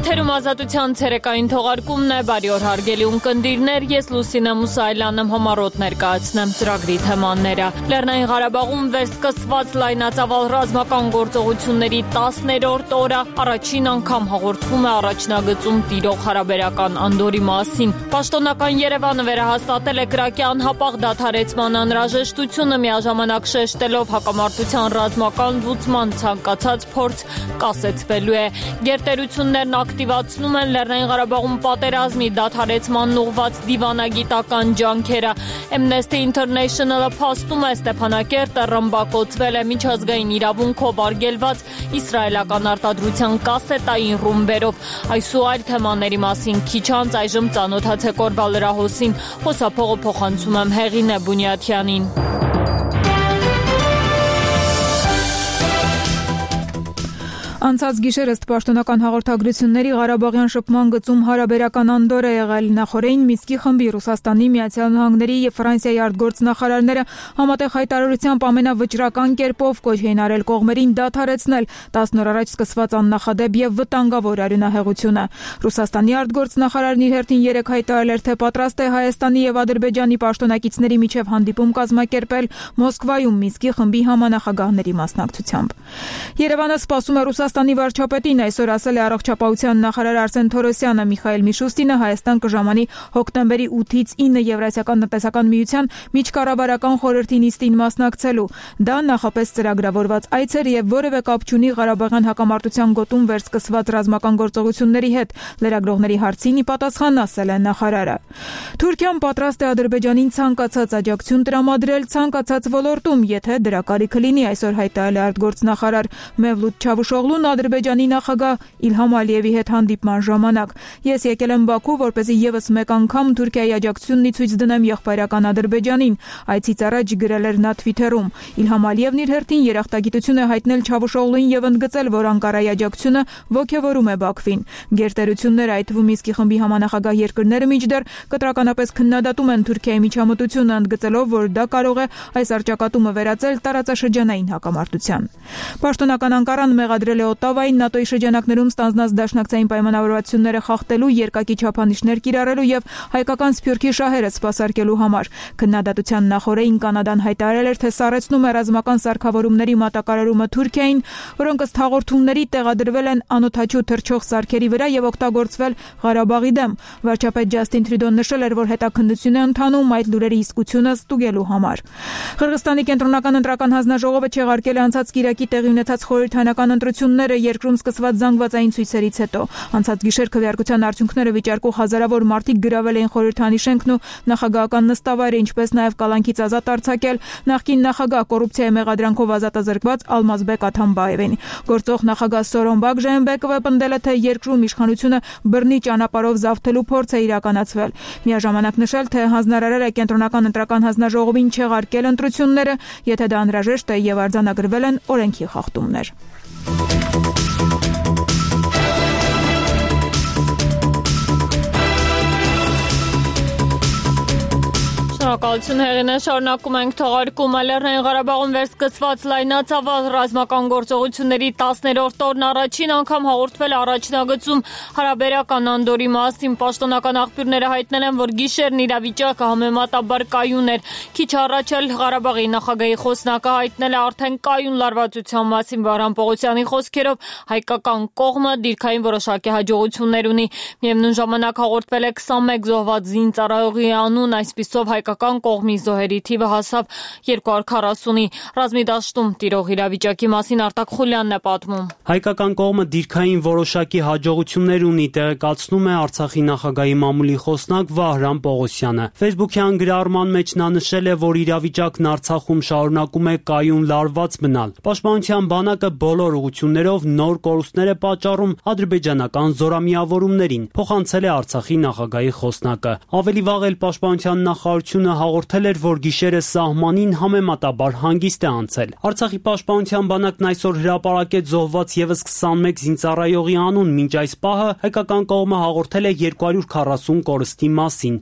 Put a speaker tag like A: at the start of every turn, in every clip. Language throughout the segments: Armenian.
A: Եթերում ազատության ցերեկային թողարկումն է, բարի օր հարգելի ունկնդիրներ, ես Լուսինե Մուսայելյանն եմ համառոտ ներկայացնեմ ծրագրի թեմաները։ Լեռնային Ղարաբաղում վերսկսված լայնածավալ ռազմական գործողությունների 10-րդ օրը առաջին անգամ հաղորդվում է առաջնագծում տիրող հարաբերական անդորի մասին։ Պաշտոնական Երևանը վերահաստատել է կրակի անհապաղ դադարեցման անհրաժեշտությունը, միաժամանակ շեշտելով հակամարտության ռազմական լուծման ցանկացած փորձ կասեցվելու է։ Գերտերություններն ակտիվացնում են Լեռնային Ղարաբաղում պատերազմի դադարեցման ուղղված դիվանագիտական ջանքերը։ Amnesty International-ը փաստում է Ստեփանակերտը ռմբակոծվել է միջազգային իրավունքով արգելված իսրայելական արտադրության կասետային ռումբերով։ Այս ու այլ թեմաների մասին քիչ անց այժմ ծանոթացեք օրվա լրահոսին։ Խոսափողը փոխանցում եմ Հեղինե Բունյաթյանին։
B: Անցած գիշեր ըստ պաշտոնական հաղորդագրությունների Ղարաբաղյան շփման գծում հարաբերական անդոր է եղել։ Նախորդին Մինսկի խմբի, Ռուսաստանի, Միացյալ Նահանգների եւ Ֆրանսիայի արտգործնախարարները համատեղ հայտարարությամբ ամենավճռական կերպով կոչ էին արել կողմերին դադարեցնել 10 օր առաջ սկսված աննախադեպ եւ վտանգավոր արյունահեղությունը։ Ռուսաստանի արտգործնախարարն իր հերթին 3 հայտարարել էր, թե պատրաստ է Հայաստանի եւ Ադրբեջանի պաշտոնակիցների միջև հանդիպում կազմակերպել Մոսկվայում Մինսկի խմբի համանախագահների մասնակցությամբ։ Երևանը սպասում է Ռուսաստանի վարչապետին, այսօր ասել է առողջապահության նախարար Արսեն Թորոսյանը։ Միխայել Միշուստինը Հայաստան կժամանի հոկտեմբերի 8-ից 9 Եվրասիական տնտեսական միության միջկառավարական խորհրդի նիստին մասնակցելու։ Դա նախապես ծրագրավորված այց էր եւ որևէ կապ չունի Ղարաբաղյան հակամարտության գոտում վերսկսված ռազմական գործողությունների հետ։ Լրագրողների հարցին ի պատասխան ասել է նախարարը։ Թուրքիան պատրաստ է Ադրբեջանին ցանկացած աջակցություն տրամադրել ցանկացած ոլորտում, եթե դրա կարիքը լինի, այսօր հայտարարել է արտգործնախարար Մևլութ Չավուշօղլուն Ադրբեջանի նախագահ Իլհամ Ալիևի հետ հանդիպման ժամանակ։ Ես եկել եմ Բաքու, որպեսզի եւս մեկ անգամ Թուրքիայի աջակցությունն ի ցույց դնեմ եղբայրական Ադրբեջանին։ Այցից առաջ գրել էր նա Թվիթերում։ Իլհամ Ալիևն իր հերթին երախտագիտություն է հայտնել Չավուշօղլուին եւ ընդգծել, որ Անկարայի աջակցությունը ողջևորում է Բաքվին։ Գերտերությունները, այդ թվում Մինսկի խմբի համանախագահ երկրները մինչդեռ կտրականապես քննադատում են Թուրքիայի միջամտությունը, ընդգծելով, որ դա կարող է այս առճակատումը վերածել տարածաշրջանային հակամարտության։ Պաշտոնական Անկարան մեղադրել է Օտավային ՆԱՏՕ-ի շրջանակներում ստանձնած դաշնակցային պայմանավորվածությունները խախտելու, երկակի չափանիշներ կիրառելու եւ հայկական սփյուռքի շահերը սպասարկելու համար։ Քննադատության նախօրեին Կանադան հայտարարել էր, թե սառեցնում է ռազմական սարքավորումների մատակարարումը Թուրքիային, որոնք ըստ հաղորդումների տեղադրվել են անօդաչու թռչող սարքերի վրա եւ օգտագործվել Ղարաբաղի դեմ։ Վարչապետ Ջասթին Տրյուդոն նշել էր, որ հետաքննություն է ընթանում այդ լուրերի իսկությունը ստուգելու համար։ Қырғызստանի կենտրոնական ընտրական հանձնաժողովը չեղարկել է անցած կիրակի տեղի ունեցած խորհրդանական ընտրությունները երկրում սկսված զանգվածային ցույցերից հետո։ Անցած գիշեր քվեարկության արդյունքները վիճարկող հազարավոր մարդիկ գրավել էին խորհրդանի շենքն ու նախագահական նստավայրը, ինչպես նաև կալանքից ազատ արձակել նախկին նախագահ կոռուպցիայի մեղադրանքով ազատազրկված Ալմազբեկ Աթամբաևին։ Գործող նախագահ Սորոնբակ Ժայմբեկովը պնդել է, թե երկրում իշխանությունը բռնի ճանապարհով զավթելու փորձ է իրականացվել։ Միաժամանակ նշել, թե հանձնարարել է կենտրոնական ընտրական հանձնաժողովին չեղարկել ընտրությունները, եթե դա անհրաժեշտ է եւ արձանագրվել են օրենքի խախտումներ։
A: Շնորհակալություն Հեղինե, շարունակում ենք թողարկումը։ Լեռնային Ղարաբաղում վերսկսված լայնածավալ ռազմական գործողությունների 10-րդ օրն առաջին անգամ հաղորդվել առաջնագծում հարաբերական անդորի մասին։ Պաշտոնական աղբյուրները հայտնել են, որ գիշերն իրավիճակը համեմատաբար կայուն էր։ Քիչ առաջ էլ Ղարաբաղի նախագահի խոսնակը հայտնել է արդեն կայուն լարվածության մասին։ Վահրամ Պողոսյանի խոսքերով հայկական կողմը դիրքային որոշակի հաջողություններ ունի։ Միևնույն ժամանակ հաղորդվել է 21 զոհված զինծառայողի անուն, այսպիսով հայկական կողմի զոհերի թիվը հասավ 240-ի։ Ռազմի դաշտում տիրող իրավիճակի մասին Արտակ Խուլյանն է պատմում։
C: Հայկական կողմը դիրքային որոշակի հաջողություններ ունի, տեղեկացնում է Արցախի նախագահի մամուլի խոսնակ Վահրամ Պողոսյանը։ Facebook-յան գրառման մեջ նա նշել է, որ իրավիճակն Արցախում շարունակում է կայուն լարված մնալ։ Պաշտպանության բանակը բոլոր ուղղություններով նոր կորուստներ է պատճառում ադրբեջանական զորամիավորումներին, փոխանցել է Արցախի նախագահի խոսնակը։ Ավելի վաղ էլ Պաշտպանության նախարարությունը հաղորդել էր, որ գիշերը սահմանին համեմատաբար հանգիստ է անցել։ Արցախի պաշտպանության բանակն այսօր հրապարակեց զոհված եւս 21 զինծառայողի անուն, մինչ այս պահը հայկական կողմը հաղորդել է 240 կորստի մասին։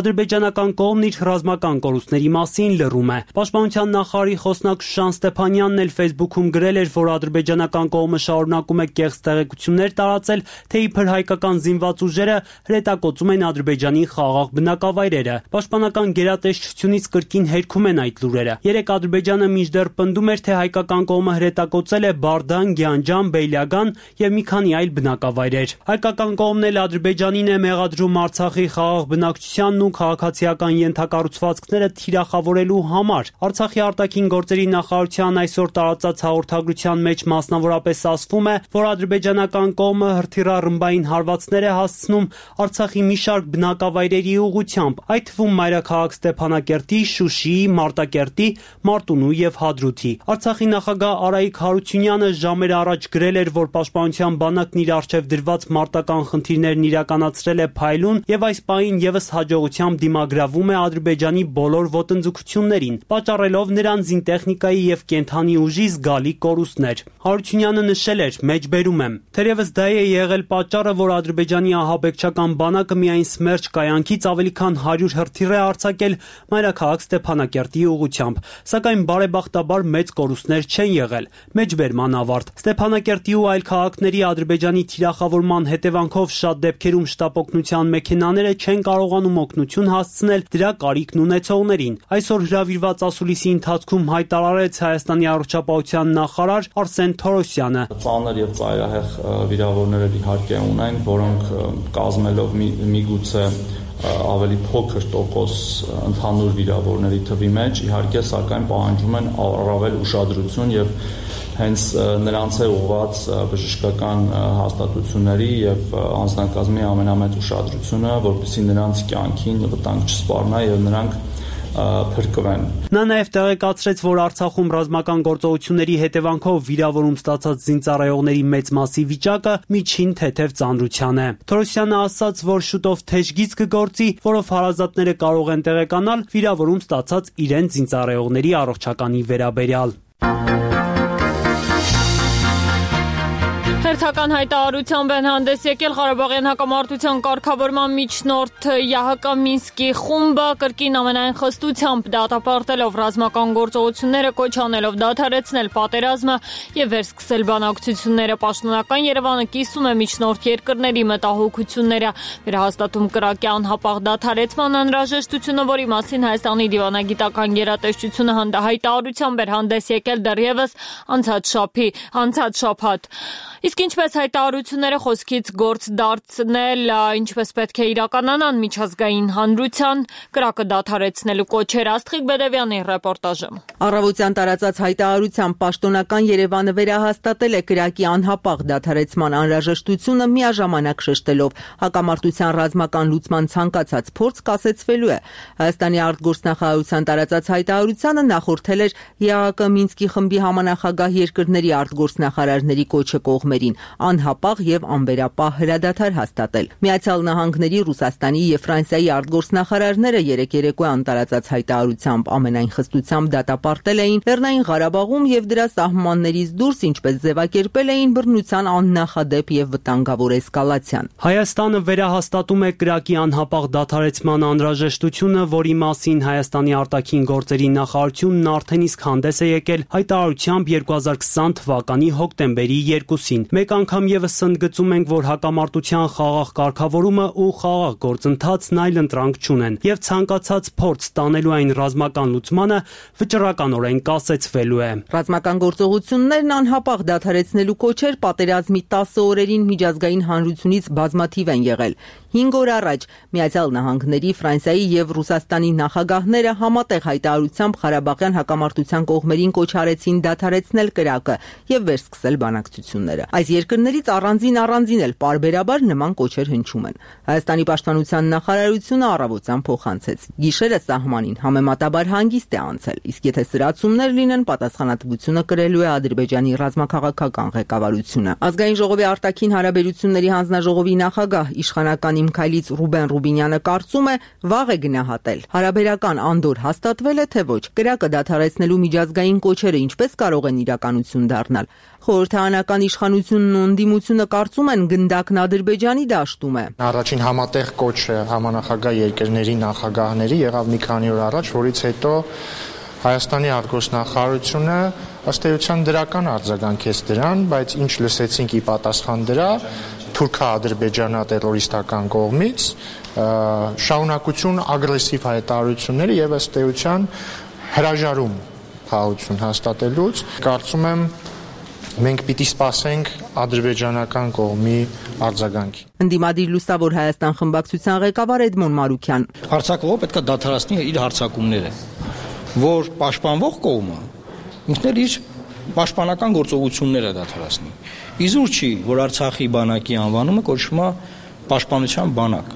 C: Ադրբեջանական կողմն իր ռազմական կորուստների մասին լռում է։ Պաշտպանության նախարարի խոսնակ Շուշան Ստեփանյանն էլ Facebook-ում գրել էր, որ ադրբեջանական կողմը շարունակում է կեղծ տեղեկություններ տարածել, թե իբր հայկական զինված ուժերը հրետակոծում են Ադրբեջանի խաղաղ բնակավայրերը։ Պաշտպանական գերատեսչությունից կրկին հերքում են այդ լուրերը։ Երեք Ադրբեջանը մինչդեռ պնդում էր, թե հայկական կողմը հրետակոծել է Բարդան, Գյանջան, Բեյլագան եւ մի քանի այլ բնակավայրեր։ Հայկական կողմն էլ Ադրբեջանին է մեղադրում Արցախի խաղաղ բնակչությանն ու քաղաքացիական ենթակառուցվածքները թիրախավորելու համար։ Արցախի արտաքին գործերի նախարարության այսօր տարածած հաղորդագրության մեջ մասնավորապես ասվում է, որ ադրբեջանական կողմը հրթիռառմբային հարվածներ է հասցնում Արցախի մի շարք բնակավայրերի ուղղությամբ, այդ թվում մայրաքաղաք Ստեփանակերտի, Շուշիի, Մարտակերտի, Մարտունու եւ Հադրութի։ Արցախի նախագահ Արայիկ Հարությունյանը ժամեր առաջ գրել էր, որ պաշտպանության բանակն իր առջև դրված մարտական խնդիրներն իրականացրել է փայլուն եւ այս պահին եւս հաջողությամբ դիմագրավում է Ադրբեջանի բոլոր ոտնձգություններին, պատճառելով նրան զինտեխնիկայի եւ կենթանի ուժի զգալի կորուստներ։ Հարությունյանը նշել էր. «Մեջբերում եմ, թերևս դա է եղել պատճառը, որ Ադրբեջանի ահաբեկչական բանակը միայն Սմերջ կայանքից ավելի քան 100 հրթիռ է արձակել մայրաքաղաք Ստեփանակերտի ուղղությամբ, սակայն բարեբախտաբար մեծ կորուստներ չեն եղել»։ Մեջբերման ավարտ։ Ստեփանակերտի ու այլ քաղաքների Ադրբեջանի թիրախավորման հետևանքով շատ դեպքերում շտապօգնության մեքենաները չեն կարողանում օգնություն հասցնել դրա կարիքն ունեցողներին։ Այսօր հրավիրված ասուլիսի ընթացքում հայտարարեց Հայաստանի առողջապահության նախարար Արսեն Թորոսյանը.
D: «Ծանր եւ ծայրահեղ վիրավորներ իհարկե ունեն, որոնք կազմելով միգուցե ավելի փոքր տոկոս ընդհանուր վիրավորների թվի մեջ, իհարկե, սակայն պահանջում են առավել ուշադրություն եւ հենց նրանց է ուղղված բժշկական հաստատությունների եւ անձնակազմի ամենամեծ ուշադրությունը, որպեսզի նրանց կյանքին վտանգ չսպառնա եւ նրանք փրկվեն»։
C: Նա նաև տեղեկացրեց, որ Արցախում ռազմական գործողությունների հետևանքով վիրավորում ստացած զինծառայողների մեծ մասի վիճակը միջին թեթև ծանրության է։ Թորոսյանը ասաց, որ շուտով թեժգիծ կգործի, որով հարազատները կարող են տեղեկանալ վիրավորում ստացած իրենց զինծառայողների առողջականի վերաբերյալ։
A: Հերթական հայտարարությամբ են հանդես եկել Ղարաբաղյան հակամարտության կարգավորման միջնորդ ԵԱՀԿ Մինսկի խումբը, կրկին ամենայն խստությամբ դատապարտելով ռազմական գործողությունները, կոչ անելով դադարեցնել պատերազմը եւ վերսկսել բանակցությունները։ Պաշտոնական Երևանը կիսում է միջնորդ երկրների մտահոգությունները, վերահաստատում կրակի անհապաղ դադարեցման անհրաժեշտությունը, որի մասին Հայաստանի դիվանագիտական գերատեսչությունը հայտարարությամբ էր հանդես եկել դեռևս անցած շաբաթ։ Իսկ ինչպես հայտարարությունները խոսքից գործ դարձնել, ինչպես պետք է իրականանան միջազգային հանրության կրակը դադարեցնելու կոչեր, Աստղիկ Բեդևյանի ռեպորտաժը։
E: Առավոտյան տարածած հայտարարությամբ պաշտոնական Երևանը վերահաստատել է կրակի անհապաղ դադարեցման անհրաժեշտությունը, միաժամանակ շեշտելով հակամարտության ռազմական լուծման ցանկացած փորձ կասեցվելու է։ Հայաստանի արտգործնախարարության տարածած հայտարարությանը նախորդել էր ԵԱՀԿ Մինսկի խմբի համանախագահ երկրների արտգործնախարարների կոչը կողմերին անհապաղ եւ անվերապահ հրադադար հաստատել։ Միացյալ Նահանգների, Ռուսաստանի եւ Ֆրանսիայի արտգործնախարարները երեկ երեկոյան տարածած հայտարարությամբ ամենայն խստությամբ դատապարտել էին Լեռնային Ղարաբաղում եւ դրա սահմաններից դուրս, ինչպես ձևակերպել էին, բռնության աննախադեպ եւ վտանգավոր էսկալացիան։
C: Հայաստանը վերահաստատում է կրակի անհապաղ դադարեցման անհրաժեշտությունը, որի մասին Հայաստանի արտաքին գործերի նախարարությունն արդեն իսկ հանդես է եկել հայտարարությամբ 2020 թվականի հոկտեմբերի 2-ին։ Մեկ անգամ եւս ընդգծում ենք, որ հակամարտության խաղաղ կարգավորումը ու խաղաղ գործընթացն այլ ընտրանք չունեն եւ ցանկացած փորձ տանելու այն ռազմական լուծմանը վճռականորեն կասեցվելու է։
E: Ռազմական գործողություններն անհապաղ դադարեցնելու կոչեր պատերազմի 10 օրերին միջազգային հանրությունից բազմաթիվ են եղել։ 5 օր առաջ Միացյալ Նահանգների, Ֆրանսիայի եւ Ռուսաստանի նախագահները համատեղ հայտարարությամբ Ղարաբաղյան հակամարտության կողմերին կոչ արեցին դադարեցնել կրակը եւ վերսկսել բանակցությունները։ Այս երկրներից առանձին էլ պարբերաբար նման կոչեր հնչում են։ Հայաստանի պաշտպանության նախարարությունը առավոտյան փոխանցեց. գիշերը սահմանին համեմատաբար հանգիստ է անցել, իսկ եթե սրացումներ լինեն, պատասխանատվությունը կրելու է Ադրբեջանի ռազմաքաղաքական ղեկավարությունը։ Ազգային ժողովի արտաքին հարաբերությունների հանձնաժողովի նախագահ իշխանական Իմ Քայլից Ռուբեն Ռուբինյանը կարծում է, վաղ է գնահատել։ Հարաբերական անդոր հաստատվել է, թե ոչ։ Կրակը դադարեցնելու միջազգային կոչերը ինչպես կարող են իրականություն դառնալ։ Խորհրդարանական իշխանությունն ու ընդդիմությունը կարծում են գնդակն Ադրբեջանի դաշտում է։
F: Առաջին համատեղ կոչը համանախագահ երկրների նախագահների եղավ մի քանի օր առաջ, որից հետո Հայաստանի արտգործնախարարությունը ըստ էության դրական արձագանքեց դրան, բայց ինչ լսեցինք ի պատասխան դրա թուրքա-ադրբեջանա-տերորիստական կողմից շարունակություն ագրեսիվ հայտարարությունները եւ ըստ էության հրաժարում խաղաղություն հաստատելուց։ Կարծում եմ մենք պիտի սպասենք ադրբեջանական կողմի արձագանքի։
E: Ընդդիմադիր Լուսավոր Հայաստան խմբակցության ղեկավար Էդմոն Մարուքյան.
G: Հարձակվողը պետք է դադարեցնի իր հարձակումները, որ պաշտպանվող կողմը ինքն էլ իր պաշտպանական գործողությունները դադարեցնի։ Իզուր չի, որ Արցախի բանակի անվանումը կոչվում է պաշտպանության բանակ։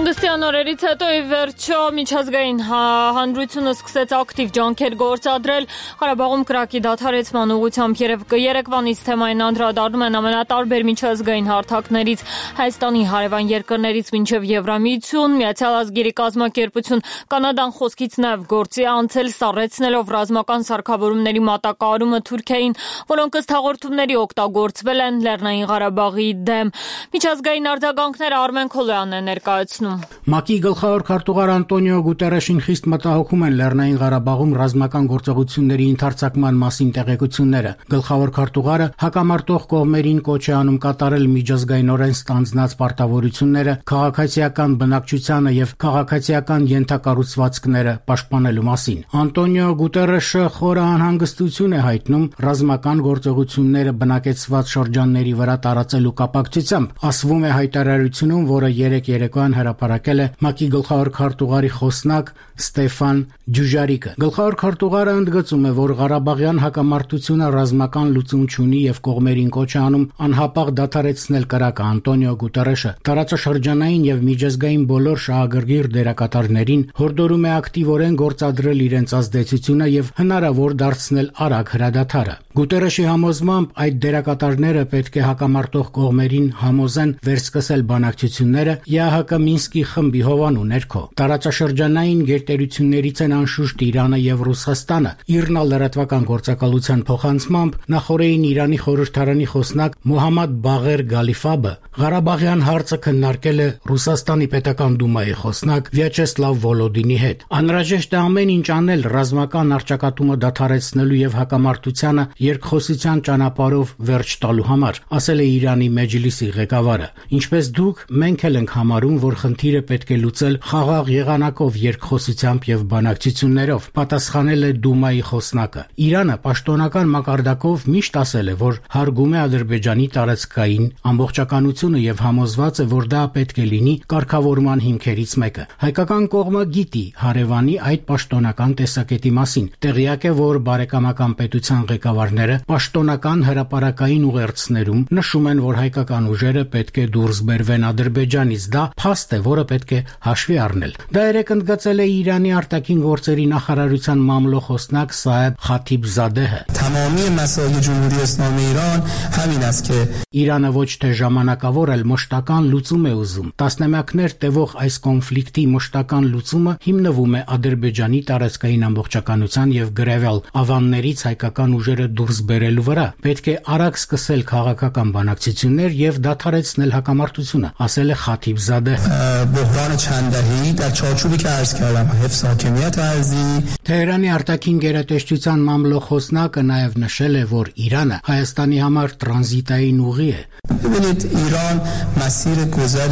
A: Հանգստյան օրերից հետո ի վերջո միջազգային հանրությունը սկսեց ակտիվ ջանքեր գործադրել Ղարաբաղում կրակի դադարեցման ուղղությամբ երեկվանից թեմային անդրադառնում են ամենատարբեր միջազգային հարթակներից Հայաստանի հարևան երկրներից մինչև Եվրամիություն, Միացյալ Ազգերի կազմակերպություն, Կանադան խոսքից նաև գործի անցել սառեցնելով ռազմական սարքավորումների մատակարարումը Թուրքիային, որոնք ըստ հաղորդումների օգտագործվել են Լեռնային Ղարաբաղի դեմ։ Միջազգային արձագանքները Արմեն Քոլոյանն է ներկայացնում։
H: ՄԱԿ-ի գլխավոր քարտուղար Անտոնիո Գուտերեշին խիստ մտահոգում են Լեռնային Ղարաբաղում ռազմական գործողությունների ընդարձակման մասին տեղեկությունները։ Գլխավոր քարտուղարը հակամարտող կողմերին կոչ է անում կատարել միջազգայինորեն ստանձնած պարտավորությունները քաղաքացիական բնակչությանը եւ քաղաքացիական ենթակառուցվածքները պաշտպանելու մասին։ Անտոնիո Գուտերեշը խորը անհանգստություն է հայտնում ռազմական գործողությունները բնակեցված շրջանների վրա տարածելու կապակցությամբ։ Ասվում է հայտարարությունում, որը երեկոյան հրապարակել է ՄԱԿ-ի գլխավոր քարտուղարի խոսնակ Ստեֆան Դյուժարիկը։ Գլխավոր քարտուղարը ընդգծում է, որ Ղարաբաղյան հակամարտությունը ռազմական լուծում չունի եւ կողմերին կոչ է անում անհապաղ դադարեցնել կրակը։ Անտոնիո Գուտերեշը տարածաշրջանային եւ միջազգային բոլոր շահագրգիռ դերակատարներին հորդորում է ակտիվորեն գործադրել իրենց ազդեցությունը եւ հնարավոր դարձնել արագ հրադադարը։ Գուտերեշի համոզմամբ այդ դերակատարները պետք է հակամարտող կողմերին համոզեն վերսկսել բանակցությունները ԵԱՀԿ Մինսկի խմբի հովանու ներքո։ Տարածաշրջանային գերտերություններից են անշուշտ Իրանը եւ Ռուսաստանը։ ԻՌՆԱ լրատվական գործակալության փոխանցմամբ նախորդին Իրանի խորհրդարանի խոսնակ Մոհամմադ Բաղեր Գալիֆաբը Ղարաբաղյան հարցը քննարկել է Ռուսաստանի պետական դումայի խոսնակ Վյաչեսլավ Վոլոդինի հետ։ Անհրաժեշտ է ամեն ինչ անել ռազմական առճակատումը դադարեցնելու եւ հակամարտությանը երկխոսության ճանապարհով վերջ տալու համար, ասել է Իրանի Մեջլիսի ղեկավարը։ Ինչպես դուք, մենք էլ ենք համարում, որ խնդիրը պետք է լուծել խաղաղ եղանակով, երկխոսությամբ եւ բանակցություններով, պատասխանել է Դումայի խոսնակը։ Իրանը պաշտոնական մակարդակով միշտ ասել է, որ հարգում է Ադրբեջանի տարածքային ամբողջականությունը եւ համոզված է, որ դա պետք է լինի կարգավորման հիմքերից մեկը։ Հայկական կողմը գիտի հարևանի այդ պաշտոնական տեսակետի մասին։ Տեղյակ է, որ բարեկամական պետության ղեկավարները պաշտոնական հրապարակային ուղերձներում նշում են, որ հայկական ուժերը պետք է դուրս բերվեն Ադրբեջանից։ Դա փաստ է, որը պետք է հաշվի առնել։ Դա երեք ընդգծել է Իրանի արտաքին գործերի նախարարության մամլոխոսնակ Սաեբ Խաթիբզադեհը։
I: Թամամի մասալի ջումհուրի իսլամի Իրան համին ասք է
H: Իրանը ոչ թե ժամանակավոր, այլ մշտական լուծում է ուզում։ Տասնամյակներ տևող այս կոնֆլիկտի մշտական լուծումը հիմնվում է Ադրբեջանի տարածքային ամբողջականության եւ գրավյալ ավաններից հայկական ուժերը դուրս բերելու վրա։ Պետք է արագ սկսել քաղաքական բանակցություններ եւ դադարեցնել հակամարտությունը, ասել է Խաթիբզադեհը։
I: Բոհրանը չանդահի դար չորչուբի կայս կալամ հեվ սակեմիատ ազի
H: Թեհրանի արտաքին գերատեսչության մամլոխոսնակը նաեւ նշել է, որ Իրանը Հայաստանի համար տրանզիտային ուղի է։
I: ببینید ایران مسیر گذر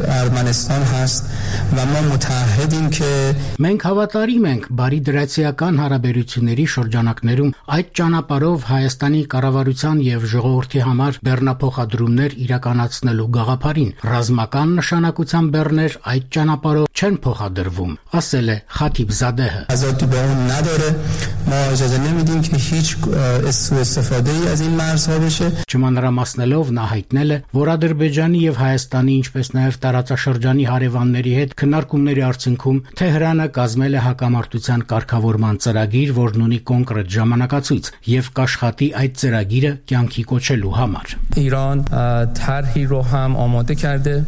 I: ارمنستان هست و ما متعهدیم که
H: Մենք հավատարիմ ենք բարի դրացիական հարաբերությունների շրջանակներում այդ ճանապարհով խոսքով Հայաստանի կառավարության եւ ժողովրդի համար բեռնափոխադրումներ իրականացնելու գաղափարին ռազմական նշանակության բեռներ այդ ճանապարհով չեն փոխադրվում, ասել է Խաթիբ Զադեհը.
I: Ազատի բեռն نداره ما اجازه نمیدیم که هیچ سوء استفاده‌ای از این مرزها بشه.
H: Չմանրամասնելով նա հայտնել է, որ Ադրբեջանի եւ Հայաստանի, ինչպես նաեւ տարածաշրջանի հարևանների հետ քննարկումների արդյունքում Թեհրանը կազմել է հակամարտության կարգավորման ծրագիր, որն ունի կոնկրետ ժամանակացույց եւ կաշխատի այդ ծրագիրը կյանքի կոչելու համար.
I: ایران طرحی رو هم آماده کرده.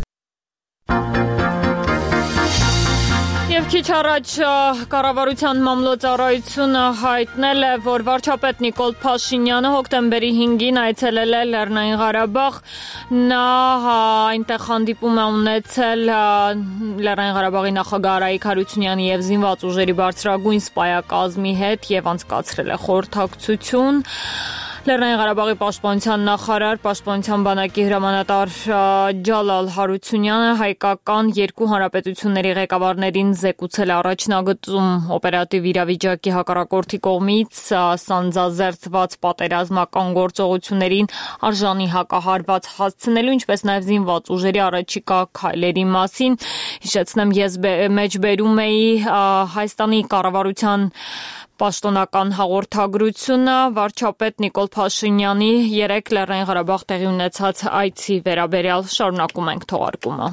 A: Եվ քիչ առաջ կառավարության մամլոյցարայությունը հայտնել է, որ վարչապետ Նիկոլ Փաշինյանը հոկտեմբերի 5-ին այցելել է Լեռնային Ղարաբաղ, նա այնտեղ հանդիպում է ունեցել Լեռնային Ղարաբաղի նախագահ Արայիկ Հարությունյանի եւ զինված ուժերի բարձրագույն սպայակազմի հետ եւ անցկացրել է խորհրդակցություն։ Լեռնային Ղարաբաղի պաշտպանության նախարար, պաշտպանության բանակի հրամանատար Ջալալ Հարությունյանը հայկական երկու հանրապետությունների ղեկավարներին զեկուցել առաջնագծում օպերատիվ իրավիճակի հակառակորդի կողմից սանձազերծված պատերազմական գործողություններին արժանի հակահարված հասցնելու, ինչպես նաև զինված ուժերի առաջիկա քայլերի մասին։ Հիշեցնեմ, ես մեջբերում էի Հայաստանի կառավարության պաշտոնական հաղորդագրությունը վարչապետ Նիկոլ Փաշինյանի 3 Լեռնային Ղարաբաղ տեղի ունեցած այցի վերաբերյալ շարունակում ենք թողարկումը։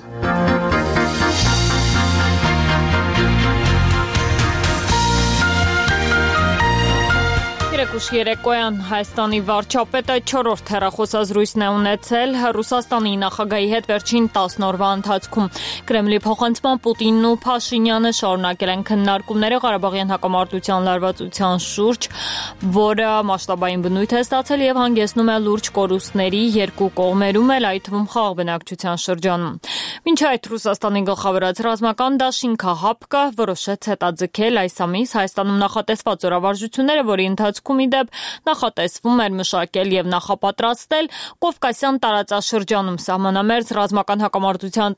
A: Երեկուշ երեկոյան Հայաստանի վարչապետը 4-րդ հեռախոսազրույցն է ունեցել Ռուսաստանի նախագահի հետ վերջին 10 օրվա ընթացքում։ Կրեմլի փոխանցման Պուտինն ու Փաշինյանը շարունակել են քննարկումները Ղարաբաղյան հակամարտության լարվածության շուրջ, որը մասշտաբային բնույթ է ստացել եւ հանգեցնում է լուրջ կորուստների երկու կողմերում էլ, այդ թվում խաղաղ բնակչության շրջանում։ Մինչ այդ Ռուսաստանի գլխավորած ռազմական դաշինքը ՀԱՊԿ որոշեց հետաձգել այս ամիս Հայաստանում նախատեսված օրավարժությունները, որի ընթացքում իդեպ նախատեսվում էր մշակել եւ նախապատրաստել Կովկասյան տարածաշրջանում սահմանամերձ ռազմական հակամարտության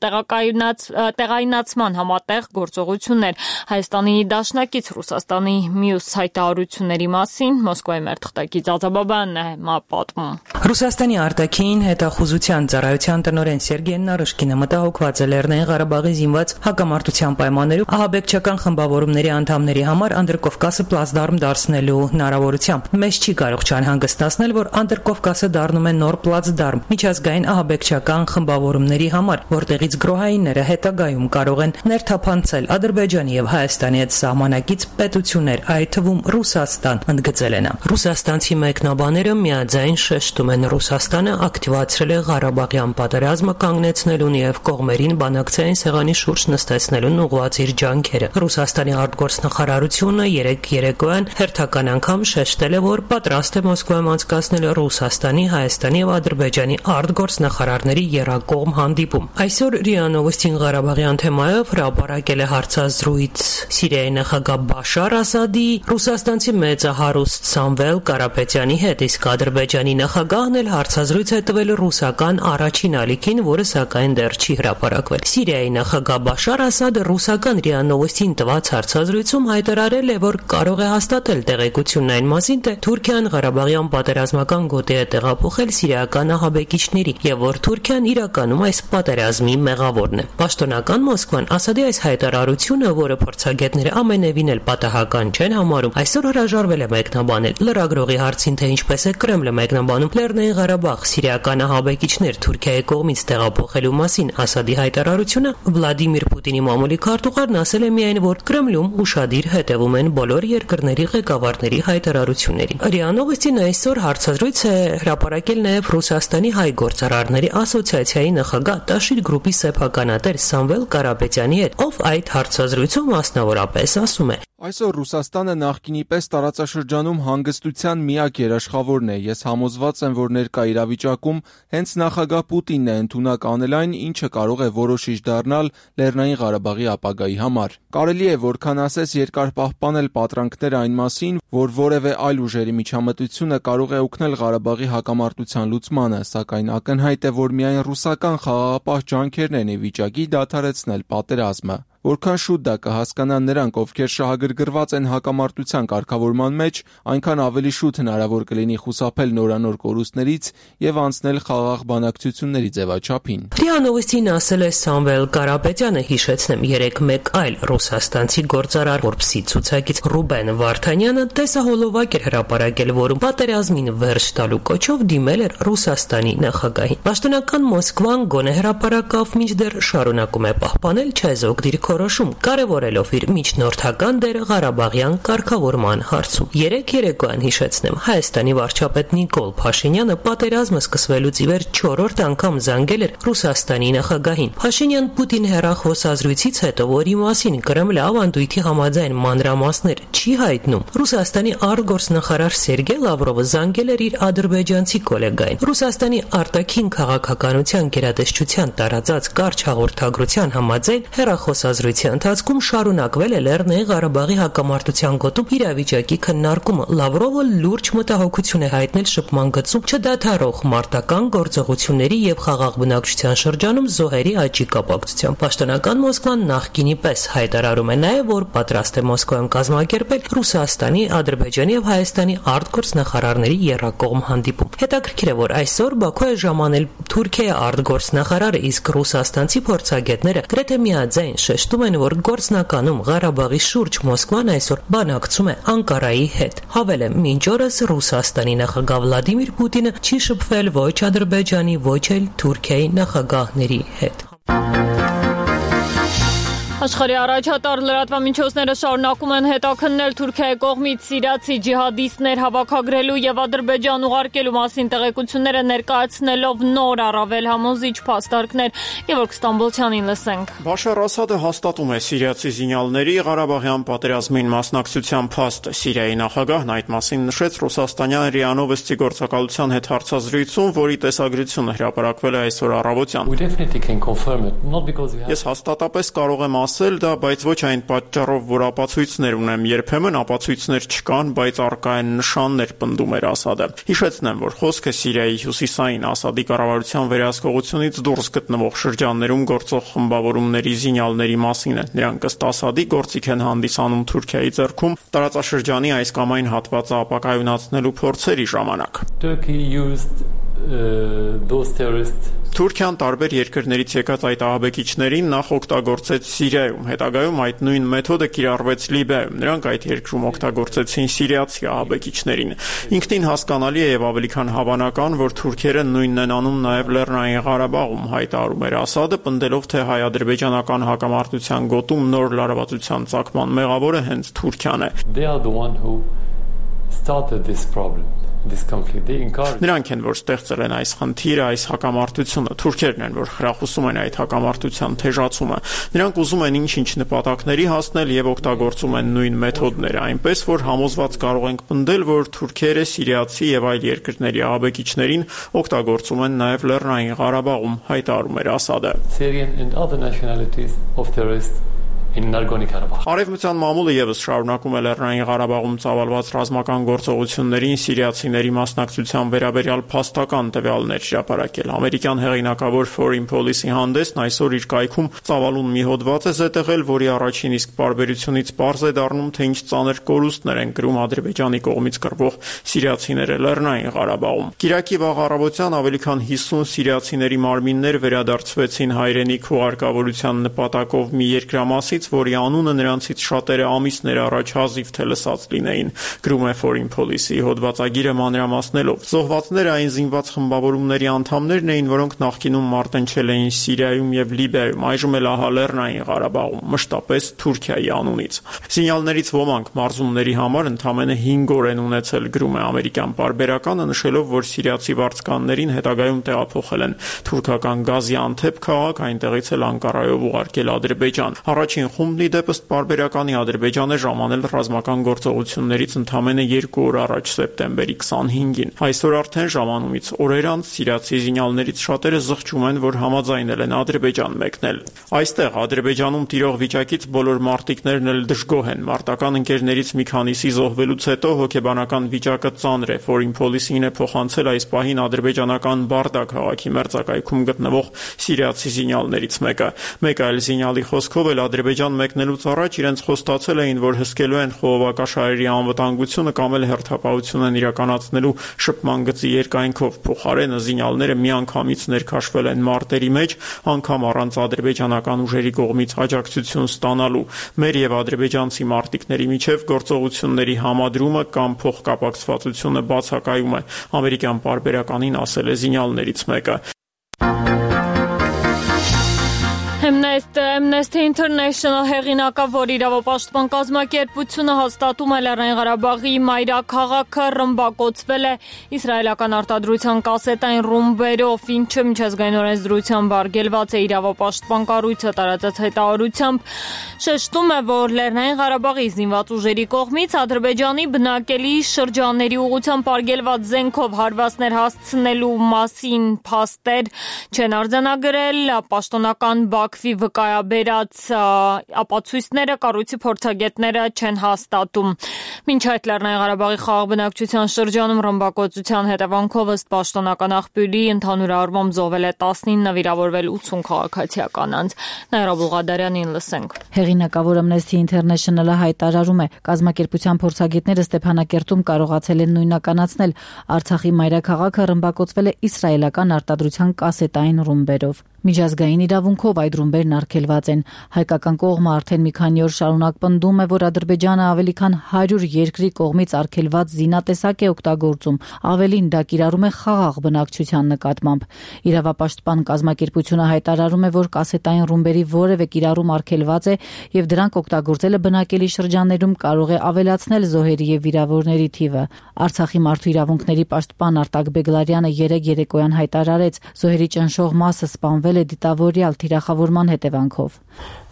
A: տեղայնացման համատեղ գործողություններ։ Հայաստանի դաշնակից Ռուսաստանի մյուս հայտարարությունների մասին Մոսկվայի մեր թղթակից Ածաբաբյանն է պատմում։
J: Ռուսաստանի արտաքին հետախուզության ծառայության տնօրեն Սերգեյ Նարիշկինը մտահոգված է Լեռնային Ղարաբաղի զինված հակամարտության պայմաններում ահաբեկչական խմբավորումների անդամների համար Անդրկովկասը պլացդարմ դարձնելու հնարավորությամբ։ Մեզ չի կարող չանհանգստացնել, որ Անդրկովկասը դառնում է նոր պլացդարմ միջազգային ահաբեկչական խմբավորումների համար, որտեղից գրոհայինները հետագայում կարող են ներթափանցել Ադրբեջանի եւ Հայաստանի հետ սահմանակից պետություններ, այդ թվում Ռուսաստան, ընդգծել են։ Ռուսաստանցի մեկնաբաները միաձայն շեշտում են Ռուսաստանը ակտիվացրել է Ղարաբաղյան պատերազմը կանգնեցնելուն եւ կողմերին բանակցային սեղանի շուրջ նստեցնելուն ուղղված իր ջանքերը։ Ռուսաստանի արտգործնախարարությունը երեկոյան հերթական անգամ շեշտել է, որ պատրաստ է Մոսկվայում անցկացնել Ռուսաստանի, Հայաստանի եւ Ադրբեջանի արտգործնախարարների եռակողմ հանդիպում։ Այսօր ՌԻԱ Նովոստին Ղարաբաղյան թեմայով հրապարակել է հարցազրույց Սիրիայի նախագահ Բաշար Ասադի, ռուսաստանցի մեծահարուստ Սամվել Կարապետյանի հետ, իսկ Ադրբեջանի նախագահն էլ հարցազրույց է տվել ռուսական առաջին ալիքին, որը սակայն դեռ չի հրապարակվել։ Սիրիայի նախագահ Բաշար Ասադը ռուսական ՌԻԱ Նովոստին տված հարցազրույցում հայտարարել է, որ կարող է հաստատել տեղեկությունն այն մասին, թե Թուրքիան Ղարաբաղյան պատերազմական գոտի է տեղափոխել սիրիական ահաբեկիչների եւ որ Թուրքիան իրականում այս պատերազմի մեղավորն է։ Պաշտոնական Մոսկվան Ասադի այս հայտարարությունը, որը փորձագետները ամենևին էլ պատահական չեն համարում, այսօր հրաժարվել է մեկնաբանել։ Լրագրողի հարցին, թե ինչպես է Կրեմլը մեկնաբանում Լեռնային Ղարաբաղ սիրիական ահաբեկիչներ Թուրքիայի կողմից տեղափոխելու մասին Ասադի հայտարարությունը, Վլադիմիր Պուտինի մամուլի քարտուղարն ասել է միայն, որ Կրեմլում ուշադիր հետևում են բոլոր երկրների ղեկավարների հայտարարություններին։ ՌԻԱ Նովոստին այսօր հարցազրույց է հրապարակել նաև Ռուսաստանի հայ գործարարների ասոցիացիայի նախագահ Տաշիր գրուպի սեփականատեր Սամվել Կարապետյանի հետ, ով այդ հարցազրույցում մասնավորապես ասում է.
K: Այսօր Ռուսաստանը նախկինի պես տարածաշրջանում հանգստության միակ երաշխավորն է։ Ես համոզված եմ, որ ներկա իրավիճակում հենց նախագահ Պուտինն է ընդունակ անել այն, ինչը կարող է որոշիչ դառնալ Լեռնային Ղարաբաղի ապագայի համար։ Կարելի է որքան ասես երկար պահպանել պատրանքները այն մասին, որ որևէ այլ ուժերի միջամտությունը կարող է օգնել Ղարաբաղի հակամարտության լուծմանը, սակայն ակնհայտ է, որ միայն ռուսական խաղաղապահ ջանքերն են ի վիճակի դադարեցնել պատերազմը։ Որքան շուտ դա կհասկանան նրանք, ովքեր շահագրգռված են հակամարտության կարգավորման մեջ, այնքան ավելի շուտ հնարավոր կլինի խուսափել նորանոր կորուստներից եւ անցնել խաղաղ բանակցությունների ձևաչափին։
J: ՌԻԱ Նովոստին ասել է Սամվել Կարապետյանը, հիշեցնեմ, երեք մեկ այլ ռուսաստանցի գործարար Forbes-ի ցուցակից Ռուբեն Վարդանյանը տեսահոլովակ էր հրապարակել, որում պատերազմին վերջ տալու կոչով դիմել էր Ռուսաստանի նախագահին։ Պաշտոնական Մոսկվան գոնե հրապարակավ, մինչդեռ շարունակում է պահպանել չեզոք դիրքորոշում, կարևորելով իր միջնորդական դերը Ղարաբաղյան կարգավորման հարցում։ Երեք երեկոյան, հիշեցնեմ, Հայաստանի վարչապետ Նիկոլ Փաշինյանը պատերազմը սկսվելուց ի վեր 4-րդ անգամ զանգել էր Ռուսաստանի նախագահին։ Փաշինյան-Պուտին հեռախոսազրույցից հետո, որի մասին Կրեմլը ավանդույթի համաձայն մանրամասներ չի հայտնում, Ռուսաստանի արտգործնախարար Սերգեյ Լավրովը զանգել էր իր ադրբեջանցի գոլեգային։ Ռուսաստանի արտաքին քաղաքականության գերատեսչության տարածած կարճ հաղորդագրության համաձայն հեռախոսազրույցի ընթացքում շարունակվել է Լեռնային Ղարաբաղի հակամարտության գոտում իրավիճակի քննարկումը։ Լավրովը լուրջ մտահոգություն է հայտնել շփման գծում չդադարող մարտական գործողությունների եւ խաղաղ բնակչության շրջանում զոհերի աճի կապակցությամբ։ Պաշտոնական Մոսկվան նախկինի պես հայտարարում է նաեւ, որ պատրաստ է Մոսկվայում կազմակերպել Ռուսաստանի, Ադրբեջանի եւ Հայաստանի արտգործնախարարների եռակողմ հանդիպում։ Հետաքրքիր է, որ այսօր Բաքու է ժամանել Թուրքիայի արտգործնախարարը, իսկ ռուսաստանցի փորձագետները գրեթե միաձայն շեշտում են, որ գործնականում Ղարաբաղի շուրջ Մոսկվան այսօր բանակցում է Անկարայի հետ։ Հավելեմ, մինչ օրս Ռուսաստանի նախագահ Վլադիմիր Պուտինը չի շփվել ոչ Ադրբեջանի, ոչ էլ Թուրքիայի նախագահների հետ։
A: Աշխարհի առաջատար լրատվամիջոցները շարունակում են հետաքննել Թուրքիայի կողմից սիրիացի ջիհադիստներ հավաքագրելու եւ Ադրբեջան ուղարկելու մասին տեղեկությունները ներկայացնելով նոր առավել համոզիչ փաստարկներ։ Գևորգ Ստամբոլցյանին լսենք։
L: Բաշար Ասադը հաստատում է սիրիացի զինյալների Ղարաբաղյան պատերազմին մասնակցության փաստը։ Սիրիայի նախագահն այդ մասին նշեց ռուսաստանյան ՌԻԱ Նովոստի գործակալության հետ հարցազրույցում, որի տեսագրությունը հրապարակվել է այսօր առավոտյան։ Ես հաստատապես կարող եմ ասել դա, բայց ոչ այն պատճառով, որ ապացույցներ ունեմ, երբեմն ապացույցներ չկան, բայց առկա են նշաններ, պնդում էր Ասադը։ Հիշեցնեմ, որ խոսքը Սիրիայի հյուսիսային Ասադի կառավարության վերահսկողությունից դուրս գտնվող շրջաններում գործող խմբավորումների զինյալների մասին է։ Նրանք ըստ Ասադի գործիք են հանդիսանում Թուրքիայի ձեռքում տարածաշրջանի այս կամ այն հատվածը ապակայունացնելու փորձերի ժամանակ։ Թուրքիան տարբեր երկրներից եկած այդ ահաբեկիչներին նախ օգտագործեց Սիրիայում, հետագայում այդ նույն մեթոդը կիրառվեց Լիբիայում։ Նրանք այդ երկրում օգտագործեցին սիրիացի ահաբեկիչներին։ Ինքնին հասկանալի է եւ ավելի քան հավանական, որ թուրքերը նույնն են անում նաեւ Լեռնային Ղարաբաղում, հայտարարում էր Ասադը, պնդելով, թե հայ-ադրբեջանական հակամարտության գոտում նոր լարվածության ծագման մեղավորը հենց Թուրքիան է։ Նրանք են, որ ստեղծել են այս խնդիրը, այս հակամարտությունը։ Թուրքերն են, որ խրախուսում են այդ հակամարտության թեժացումը։ Նրանք ուզում են ինչ-ինչ նպատակների հասնել եւ օգտագործում են նույն մեթոդները, այնպես որ համոզված կարող ենք պնդել, որ թուրքերը սիրիացի եւ այլ երկրների ահաբեկիչներին օգտագործում են նաեւ Լեռնային Ղարաբաղում, հայտարարում էր Ասադը։ Արևմտյան մամուլը եւս շարունակում է Լեռնային Ղարաբաղում ծավալված ռազմական գործողություններին սիրիացիների մասնակցության վերաբերյալ փաստական տվյալներ հրապարակել։ Ամերիկյան հեղինակավոր Foreign Policy հանդեսն այսօր իր կայքում ծավալուն մի հոդված է զետեղել, որի առաջին իսկ պարբերությունից պարզ է դառնում, թե ինչ ծանր կորուստներ են կրում Ադրբեջանի կողմից կռվող սիրիացիները Լեռնային Ղարաբաղում։ Կիրակի վաղ առավոտյան ավելի քան 50 սիրիացիների մարմիններ վերադարձվեցին հայրենիք հուղարկավորության նպատակով մի երկրամասից, որի անունը նրանցից շատերը ամիսներ առաջ հազիվ թե լսած լինեին, գրում է Foreign Policy հոդվածագիրը մանրամասնելով։ Զոհվածները այն զինված խմբավորումների անդամներն էին, որոնք նախկինում մարտնչել էին Սիրիայում եւ Լիբիայում, այժմ էլ ահա Լեռնային Ղարաբաղում, մշտապես Թուրքիայի անունից։ Զինյալներից ոմանք մարզումների համար ընդամենը 5 օր են ունեցել, գրում է ամերիկյան պարբերականը, նշելով, որ սիրիացի վարձկաններին հետագայում տեղափոխել են թուրքական Գազիանթեփ քաղաք, այնտեղից էլ Անկարայով ուղարկել Ադրբեջան։ Առաջին խումբն ի դեպ ըստ պարբերականի Ադրբեջանը ժամանել ռազմական գործողություններից ընդամենը 2 օր առաջ սեպտեմբերի 25-ին։ Այսօր արդեն ժամանումից օրեր անց սիրիացի զինյալներից շատերը զղջում են, որ համաձայնել են Ադրբեջան մեկնել։ Այստեղ Ադրբեջանում տիրող վիճակից բոլոր մարտիկներն էլ դժգոհ են։ Մարտական ընկերներից մի քանիսի զոհվելուց հետո հոգեբանական վիճակը ծանր է։ Foreign Policy-ն է փոխանցել այս պահին ադրբեջանական Բարդա քաղաքի մերձակայքում գտնվող սիրիացի զինյալներից մեկը։ Մեկ այլ զինյալի խոսքով էլ Ադրբեջանը Ադրբեջան մեկնելուց առաջ իրենց խոստացել էին, որ հսկելու են խողովակաշարերի անվտանգությունը կամ էլ հերթապահություն են իրականացնելու շփման գծի երկայնքով։ Փոխարենը զինյալները միանգամից ներքաշվել են մարտերի մեջ, անգամ առանց ադրբեջանական ուժերի կողմից աջակցություն ստանալու։ Մեր եւ ադրբեջանցի մարտիկների միջև գործողությունների համադրումը կամ փոխկապակցվածությունը բացակայում է, ամերիկյան պարբերականին ասել է զինյալներից մեկը։
A: Amnesty International հեղինակը, որ իրավապաշտպան կազմակերպությունը հաստատում է Լեռնային Ղարաբաղի մայրաքաղաքը ռմբակոծվել է իսրայելական արտադրության կասետային ռումբերով, ինչը միջազգային օրենսդրությամբ արգելված է իրավապաշտպան կառույցը տարածած հայտարարությամբ շեշտում է, որ Լեռնային Ղարաբաղի զինված ուժերի կողմից Ադրբեջանի բնակելի շրջանների ուղղությամբ արգելված զենքով հարվածներ հասցնելու մասին փաստեր չեն արձանագրել, պաշտոնական Բաքվի վկայաբերած ապացույցները կառույցի փորձագետները չեն հաստատում։ Մինչ այդ Լեռնային Ղարաբաղի խաղաղ բնակչության շրջանում ռմբակոծության հետևանքով ըստ պաշտոնական աղբյուրի ընդհանուր առմամբ զոհվել է 19, վիրավորվել 80 քաղաքացիական կանանց։ Նաիրա Բուլղադարյանին լսենք։
M: Հեղինակավոր Amnesty International-ը հայտարարում է, կազմակերպության փորձագետները Ստեփանակերտում կարողացել են նույնականացնել Արցախի մայրաքաղաքը ռմբակոծվել է իսրայելական արտադրության կասետային ռումբերով։ Միջազգային իրավունքով այդ ռումբերն արգելված են։ Հայկական կողմը արդեն մի քանի օր շարունակ պնդում է, որ Ադրբեջանը ավելի քան 100 երկրի կողմից արգելված զինատեսակ է օգտագործում, ավելին դա կիրառում է խաղաղ բնակչության նկատմամբ։ Իրավապաշտպան կազմակերպությունը հայտարարում է, որ կասետային ռումբերի որևէ կիրառում արգելված է եւ դրանք օգտագործելը բնակելի շրջաններում կարող է ավելացնել զոհերի եւ վիրավորների թիվը։ Արցախի մարդու իրավունքների պաշտպան Արտակ Բեգլարյանը երեկոյան հայտարարեց, զոհերի ճնշող մասը սպանվել է դիտավորյալ թիրախավորման հետևանքով։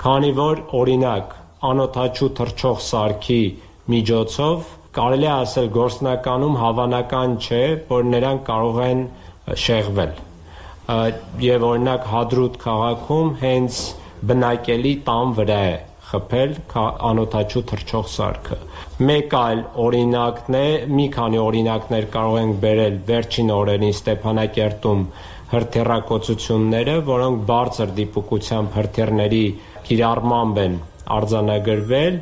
N: Քանի որ օրինակ անօդաչու թռչող սարքի միջոցով կարելի է ասել գործնականում հավանական չէ, որ նրանք կարող են շեղվել։ Եվ օրինակ Հադրութ քաղաքում հենց բնակելի տան վրա է խփել անօդաչու թռչող սարքը։ Մեկ այլ օրինակն է, մի քանի օրինակներ կարող ենք բերել վերջին օրերին Ստեփանակերտում հրթիռակոծությունները, որոնք բարձր դիպուկությամբ հրթիռների կիրառմամբ են արձանագրվել,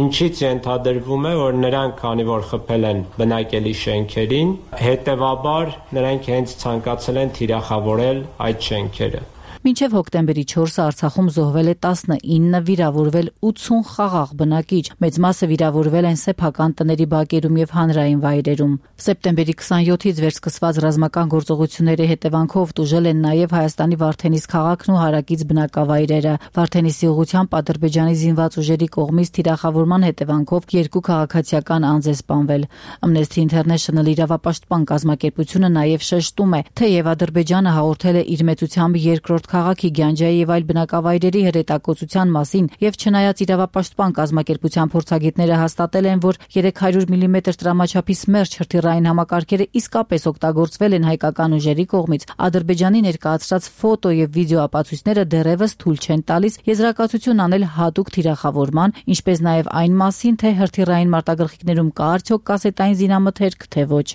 N: ինչից ենթադրվում է, որ նրանք, քանի որ խփել են բնակելի շենքերին, հետևաբար նրանք հենց ցանկացել են թիրախավորել այդ շենքերը։
M: Մինչև հոկտեմբերի 4-ը Արցախում զոհվել է 19, վիրավորվել 80 խաղաղ բնակիչ, մեծ մասը վիրավորվել են սեփական տների բակերում եւ հանրային վայրերում։ Սեպտեմբերի 27-ից վերսկսված ռազմական գործողությունների հետևանքով տուժել են նաեւ Հայաստանի Վարդենիս քաղաքն ու հարակից բնակավայրերը։ Վարդենիսի ուղղությամբ Ադրբեջանի զինված ուժերի կողմից թիրախավորման հետևանքով 2 քաղաքացիական անձ է սպանվել։ Amnesty International իրավապաշտպան կազմակերպությունը նաեւ շեշտում է, թեև Ադրբեջանը հաղորդել է իր մեծությամբ երկրորդ քաղաքի Գյանջայի եւ այլ բնակավայրերի հրետակոծության մասին եւ չնայած իրավապաշտպան կազմակերպության փորձագետները հաստատել են, որ 300 մմ տրամաչափի Սմերջ հրթիռային համակարգերը իսկապես օգտագործվել են հայկական ուժերի կողմից, Ադրբեջանի ներկայացրած ֆոտո եւ վիդեո ապացույցները դեռևս թույլ չեն տալիս եզրակացություն անել հատուկ թիրախավորման, ինչպես նաեւ այն մասին, թե հրթիռային մարտագլխիկներում կա արդյոք կասետային զինամթերք, թե ոչ։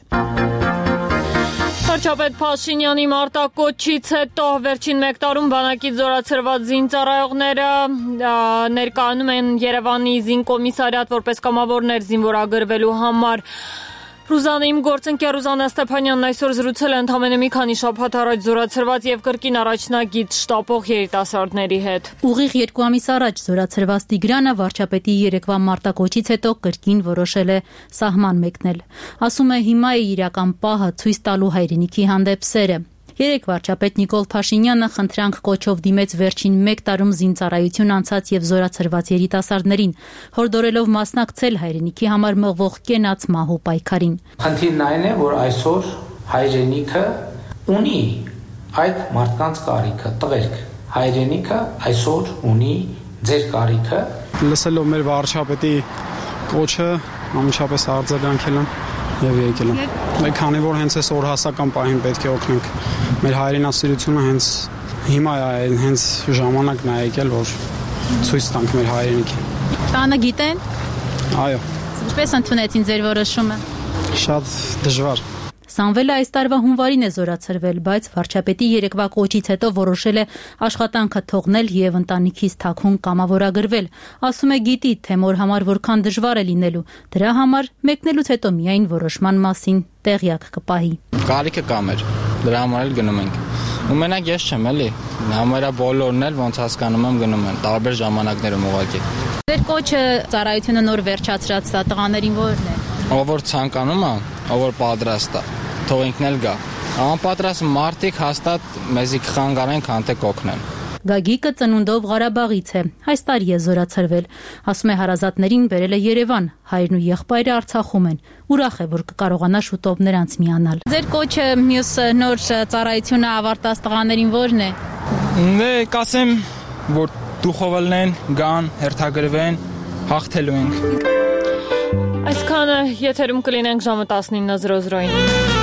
A: Վարչապետ Փաշինյանի մարտակոչից հետո վերջին մեկ տարում բանակից զորացրված զինծառայողները ներկայանում են Երևանի զինկոմիսարիատ որպես կամավորներ զինվորագրվելու համար։ Ռուզանիմ գործընկեր Ռուզաննա Ստեփանյանն այսօր զրուցել է ընդամենը մի քանի շաբաթ առաջ զորացրված եւ կրկին առաջնագիծ շտապող երիտասարդների հետ։
O: Ուղիղ 2 ամիս առաջ զորացրված Տիգրանը վարչապետի երեկվա մարտակոչից հետո կրկին որոշել է սահման մեկնել։ Ասում է հիմա է իրական պահը ցույց տալու հայրենիքի հանդեպ սերը։ Երեք վարչապետ Նիկոլ Փաշինյանը խնդրանք կոչով դիմեց վերջին մեկ տարում զինծառայություն անցած եւ զորացրված երիտասարդներին, հորդորելով մասնակցել հայրենիքի համար մղվող կենաց մահու պայքարին։
P: Խնդիրն այն է, որ այսօր հայրենիքը ունի այդ մարդկանց կարիքը, տղերք։ Հայրենիքը այսօր ունի ձեր կարիքը։
Q: Լսելով մեր վարչապետի կոչը, անմիջապես արձագանքել եմ եւ եկել եմ։ Մենք քանի որ հենց այս օրհասական պահին պետք է օգնենք մեր հայրենասիրությունը հենց հիմա է, հենց ժամանակն է եկել, որ ցույց տանք մեր հայրենիքին։
O: Տանը գիտեն։
Q: Այո։
O: Ինչպես ընդունեցին ձեր որոշումը։
Q: Շատ դժվար։
O: Սամվելը այս տարվա հունվարին է զորացրվել, բայց վարչապետի երեկվա կոչից հետո որոշել է աշխատանքը թողնել եւ ընտանիքից թաքուն կամավորագրվել։ Ասում է գիտի, թե մոր համար որքան դժվար է լինելու։ Դրա համար մեկնելուց հետո միայն որոշման մասին տեղյակ կպահի։
R: Կարիքը կա մեր, դրա համար էլ գնում ենք։ Ու մենակ ես չեմ էլի, համարյա բոլորն էլ ոնց հասկանում եմ գնում են, տարբեր ժամանակներում ուղղակի։
O: Ձեր կոչը ծառայությունը նոր վերջացրած տղաներին ո՞րն է։
R: Ով որ ցանկանում է, ով որ պատրաստ է, թող ինքն էլ գա։ Անպատրաստ մարդիկ հաստատ մեզի կխանգարեն, քան թե կօգնեն։
O: Գագիկը ծնունդով Ղարաբաղից է, այս տարի է զորացրվել։ Ասում է հարազատներին բերել է Երևան, հայրն ու եղբայրը Արցախում են։ Ուրախ է, որ կկարողանա շուտով նրանց միանալ։ Ձեր կոչը մյուս նոր ծառայությունը ավարտած տղաներին ո՞րն է։
R: Դե կասեմ, որ դուխովելն են, գան, հերթագրվեն, հաղթելու ենք։
A: Այսքանը եթերում կլինենք ժամը 19:00-ին։